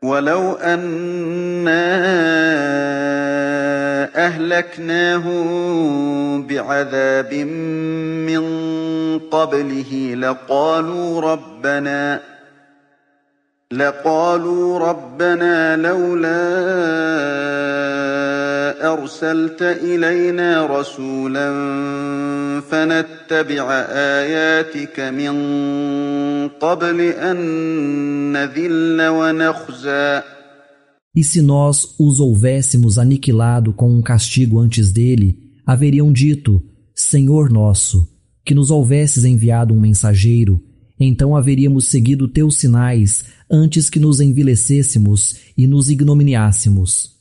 ولو أنا أهلكناهم بعذاب من قبله لقالوا ربنا لولا أرسلت إلينا رسولا فنتبع آياتك من قبل أن نذل ونخزى. E se nós os houvéssemos aniquilado com um castigo antes dele, haveriam dito: Senhor nosso, que nos houvesses enviado um mensageiro, então haveríamos seguido teus sinais antes que nos envilecêssemos e nos ignominiássemos.